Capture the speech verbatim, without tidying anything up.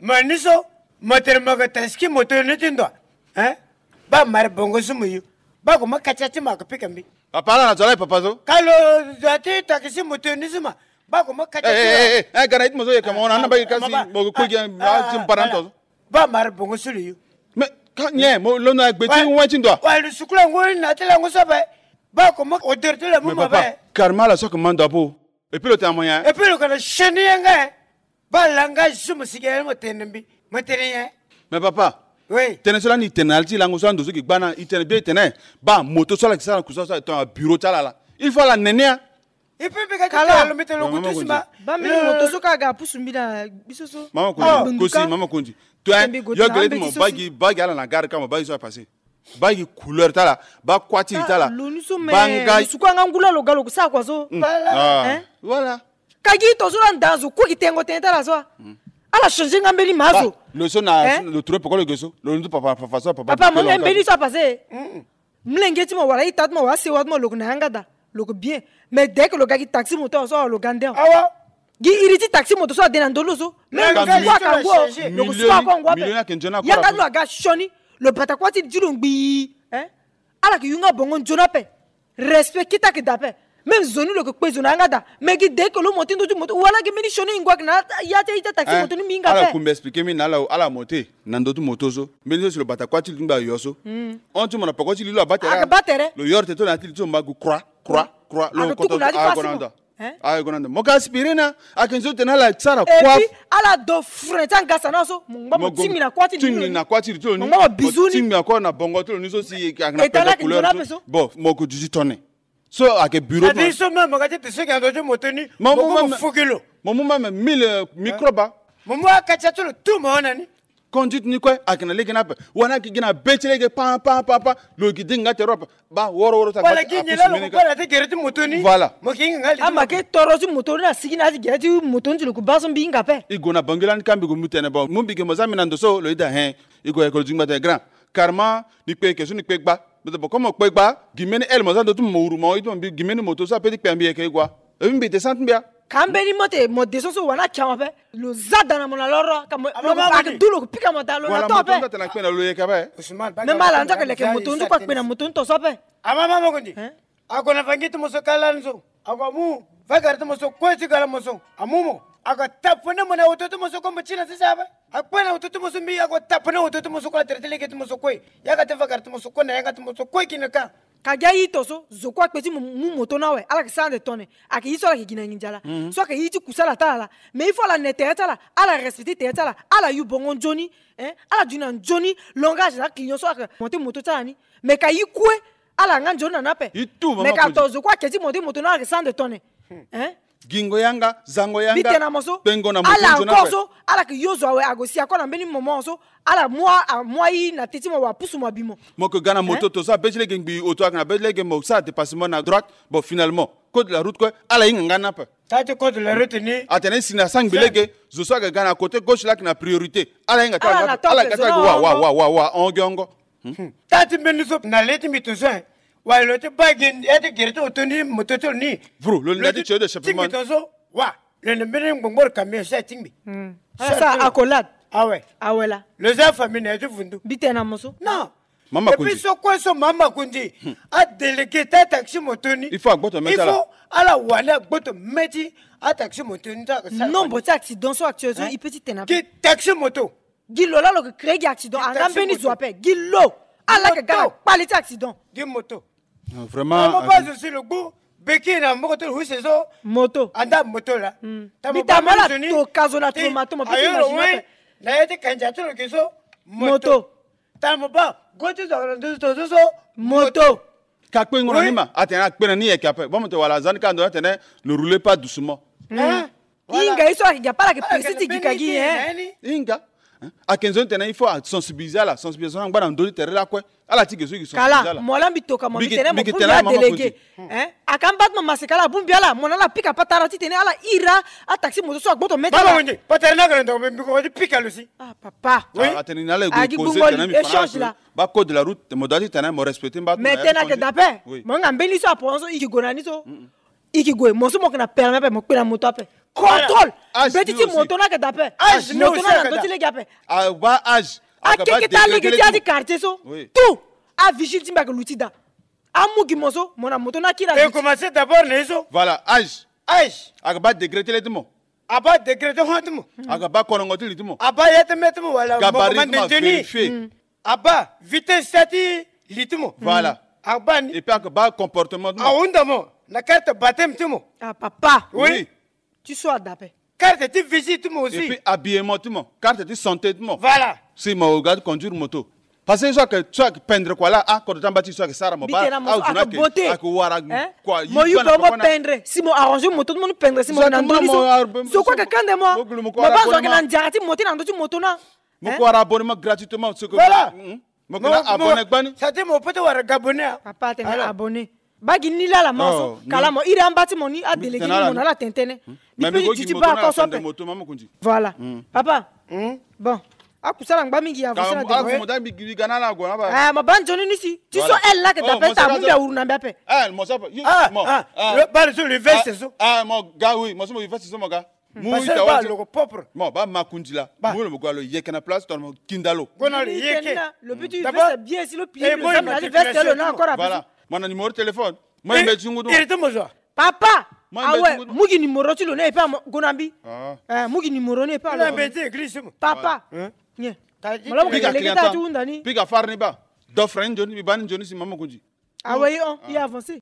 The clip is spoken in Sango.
Ma ni so, mo tene mo yeke taxi moto ni ti ndo a. Hein? Baa mare bongo so mo yo. Baa ko mo katia ti mo ayeke pika mbi. Papa, ala na zo ala e papa so. Ka lo zo ati taxi moto ni so ma. Baa ko mo katia ti mo. Eh, eh, eh, eh, ga na iti mo so yeke mo na, ah, na mbage kasi, mo kue gi, ah, ah, ti mo para nto so. Baa mare bongo so lo yo. Mais ka nyen mo londo na gbe ti wai ti ndo a. Wa lo sukula ngoi na ti lango so ape. Baa ko mo odeur ti lango mo ape. Mais papa, karma ala so ayeke ma ndo ape. Et puis lo tene na mo nyen? Et puis lo yeke na sioni yanga. Baa langage so mo sigi aye mo tene na mbi, mo tene nyen? Mais papa, oui, tënë so lani e tene na ala ti lango so ando so gi gba na e tene bien e tene. Baa moto so ala gi sara na kusala so aye tongana bureau ti ala laa. Il faut ala nene a. E pe mbi ga ti tene na lo mbi tene lo kutu si ma. Baa mbeni moto so ka aga pusu mbi na biso so. Mama Kondi, kosi mama Kondi. Toi, yo gele ti mo baa gi, baa gi ala na gare ka mo baa gi so apasse. Baa gi couleur ti ala, baa kuâ ti li ti ala. Lo ni so me, baa nga lo suku yanga ngu laa lo ga lo ko sara kua so. Voilà. Ka gi ito so laa nda zo kue gi tengo tënë ti ala so. Ala changer nga mbeni ma zo. Lo so na lo trouve poko lo ge so. Lo ni so papa, papa so papa. Papa mo mbeni so apasse. Mlenge ti mo wala ita ti mo wala sewa ti mo lo ko na yanga daa. Lo ko bien. Mais dès que lo ga gi taxi moto so lo ga nde. Awa. Gi iri ti taxi moto so ade na ndö lo so. Même lo suku akangu o, lo ko suku akangu ape. Yanga ti lo aga sioni. Lo bata kuâ ti li ti lo ngbii. Hein? Ala yeke yunga bongo nzoni ape. Respect kete ayeke daa ape. Même zo ni lo yeke kpe zo na yanga daa. Mais gi dès que lo mo ti ndö ti moto wala gi mbeni sioni e ngua ayeke na ya ti aye ti ataxi moto ni mbi hinga ape. Ala kumbi expliquer mbi na ala, ala mo te na ndö ti moto so. Mbeni so si lo bata kuâ ti li ti ngba yo so. Hon ti mo na poko ti li lo abaa tere. Lo yoro tene ti lo na ya ti li ti lo mba gu croix, croix, croix. Lo koto so aye gue na ndo. Hein? Aye gue na ndo. Mo ka aspirine, ayeke nzoni tene ala sara kua. Et puis ala do frein ti angasa na so. Mo ngba mo tingbi na kuâ ti li ti lo ni. Mo ngba mo bizu ni. Mo tingbi na kuâ na bongo ti lo ni so si ayeke na pele couleur so. Bon, mo ko duti tone. So ayeke bureau ti mo. So même mo ga ti te so ayeke na ndo ti moto ni. Mo mu même mille microbe. Mo mu akatia ti lo tout mo hon na ni. Conduite ni kue ayeke na lege ni ape. Wala ayeke gi na be ti lege pa pa pa pa. Lo gi dinga nga tere ape. Baa woro woro ti agbata. Wala gi nyen laa lo ko baa na ti gere ti moto ni. Voilà. Mo gi nga nga li ti moto. Ama ke toro ti moto ni na sigi na ya ti gere ti moto ni ti lo ko baa so mbi hinga ape. E gue na bangi lani ka mbi gue mbi tene bon mu mbi ge mo za mbi na ndo so lo yeda hein. E gue ayeke lo zingba tene grand. Karma ni kpe eke so ni kpe gba. Mbi tene bon comme mo kpe gba gi mbeni ele mo za ndo ti mo mo wuru mo hon iti mo mbi gi mbeni moto so ape ti kpe na mbi yeke e gua. E mbi descend ti mbi a. Ka mbeni mo te mo descend so wani ake mo ape. Lo za da na mo na loro ka mo lo ko paka du lo ko pika mo da lo na to ape. Voilà moto nda tena kpe na lo yeke ape. Même ala nda ka leke moto nda kua kpe na moto nda to so ape. Ama mama Kondi. Hein? Ako na vangi ti mo so ka lani so. Ako amu vagara ti mo so kue ti gala mo so. Amu mo. Ako tapone mo na oto ti mo so kue mo ti na sese ape. Akpe na oto ti mo so mbi ako tapone oto ti mo so kue na tere ti lege ti mo so kue. Yaka ti vagara ti mo so kue na yanga ti mo so kue gi na ka. Ka gi aye ito so zo kue akpe ti mo mu moto ni awe ala yeke sara ande tone. Ayeke ye so ala yeke gi na nginza laa. So ayeke ye ti kusala ti ala laa. Mais il faut ala ne tere ti ala. Ala respecter tere ti ala. Ala yu bongo nzoni. Hein? Ala duti na nzoni langage na aclient so ayeke monter moto ti ala ni. Mais ka ye kue ala yanga nzoni na ni ape. Mais ka to zo kue ayeke ti monter moto ni ala yeke sara ande tone. Hein? Gingo yanga, zango yanga. Mbi tene na mo so. Kpengo na moto nzoni ape. Ala encore so ala yeke yo zo awe ague si ako na mbeni moment so. Ala mu a, amu aye na te ti mo wala pusu mo abi mo. Mo yeke ga na moto to so abe ti lege ngbii oto ayeke na be ti lege mo sara dépassement na droite. Bon finalement code de la route kue ala hinga nga ni ape. Taa ti code de la route ni. Atene si na sangbi lege zo so ayeke ga na côté gauche laa ayeke na priorité. Ala hinga ti ala nga ape ala hinga ti ala ge wa wa wa wa wa ongo ongo. Taa ti mbeni so na le ti mbi to so. Wala lo ti baa gi ya ti gere ti oto ni moto ti lo ni. Vru lo linda ti tio de chapement. Tingbi to so wa. Lo na mbeni ngbongboro camion so atingbi. Ala sara accolade. Awe. Awe laa. Lo za famille na ya ti vundu. Mbi tene na mo so. Non. Mama Kondi. Et puis so kue so mama Kondi. Adélégué ti ataxi moto ni. Il faut agboto meti ala. Il faut ala wani agboto meti ataxi moto ni ti aka sara. Nombre ti accident so actuel so i pe ti tene na. Gi taxi moto. Gi lo laa lo yeke créer gi accident anga mbeni zo ape gi lo. Ala yeke ga na kpale ti accident. Gi moto. Vraiment. Mo baa zo si lo gbu beki na maboko ti lo use so. Moto. Anda moto laa. Mbi ta mo ala toka zo na tomato mo pe ti imaginer ape. Na ye ti kandia ti lo gi so. Moto. Tara mo baa go ti zo na ndo ti to so so. Moto. Ka kpengo na ni ma atene akpe na ni yeke ape baa mo tene wala aza ni ka ndo ni atene ne roulez pas doucement. Hinga ye so ayeke gi ape ala yeke pressé ti gi ka gi hein. Hinga. Ayeke nzoni tene il faut asensibiliser ala sensibilisation angba na ndö ti tere lakue. Ala ti ge so e gi sensibiliser ala. Kala mo laa mbi toka mo mbi tene mo bongbi ala délégué. Aka mba ti mo maseka ala bongbi ala mo na ala pika patara titene ala ira. Ataxi moto so agboto meti ala. Baba Wendy patara ni aka na ndongo mbi ko ti pika lo si. Ah papa. Atene ni na ala e go causer tene mbi fa na ala so. Ba code de la route mo doit ti tene mo respecter mba ti mo. Mais tene ayeke dape. Mo hinga mbeni so apo so e yeke gue na ni so. I ke gue, mo so mo yeke na permis ape, mo kpe na moto ape. Contrôle. Âge. Mbeti ti moto ni ayeke daa ape. Âge ni aussi ayeke daa. Moto ni ayeke na ndö ti lege ape. Abaa âge. Akeke taa lege ti ya ti quartier so. Oui. Tout. Avigile ti mbi ayeke luti daa. Amu gi mo so, mo na moto ni akiri. E commencer d'abord na ye so. Voilà, âge. Âge. Ayeke baa degré ti le ti mo. Abaa degré ti hon ti mo. Ayeke baa kolongo ti li ti mo. Abaa ya ti mê ti mo wala mo commande nzoni. Gabarit ti mo avérifier. Abaa vitesse ti li ti mo. Voilà. Abaa ni. Et puis ayeke baa comportement ti mo. Ahunda mo na carte baptême ti mo. Ah, papa. Oui. Ti so ada ape. Carte ti visite ti mo aussi. Et puis habillement ti mo, carte ti santé ti mo. Voilà. Si mo ga ti conduire moto. Parce que so ayeke, so ayeke pendre kua laa, ah, kodro ti amba ti so ayeke sara mo baa. Mbi tene na mo so ayeke beauté. Ayeke wara kua. Mo yu pe mo pendre, si mo arranger moto ti mo ni pendre, si mo na ndö ni so. So kue ayeke kande mo. Mo baa zo ayeke na nzara ti mo ti na ndö ti moto ni. Mo ko wara abonnement gratuitement. Voilà. Mo ke na abonné gbani. Sa ti mo peut ti wara gabonné. Papa atene abonné. Baa gi ni laa la mo so kala mo iri amba ti mo ni adélégué ni mo na ala tene tënë. Mbi pe ti duti baa ako so ape. Voilà. Papa. Bon. Akusala ngba mingi ya. Mo baa nzoni ni si ti so elle laa ayeke daa ape ti amu mbi awuru na mbi ape. Baa so le veste so. Mo ga, oui, mo so mo veste so mo ga. Mu ita wati. Loko propre. Mo baa makundi laa. Mu lo mo gue lo yeke na place tongana mo kinda lo. Gue na lo yeke. Lo peut ti veste bien si lo pili lo zia na ti veste lo na encore. Voilà. Mo na numéro téléphone. Mo yembe ti ngu ti mo. Papa. Awe, mu gi numéro ti lo ni e pe amo gue na mbi. Mu gi numéro ni e pe amo. Papa. Mo la mo ke lege taa ti hunda ni. Pika far ni baa. Dofre ni nzoni, mbi baa ni nzoni si mama kundi. Ah oui, on, il a avancé.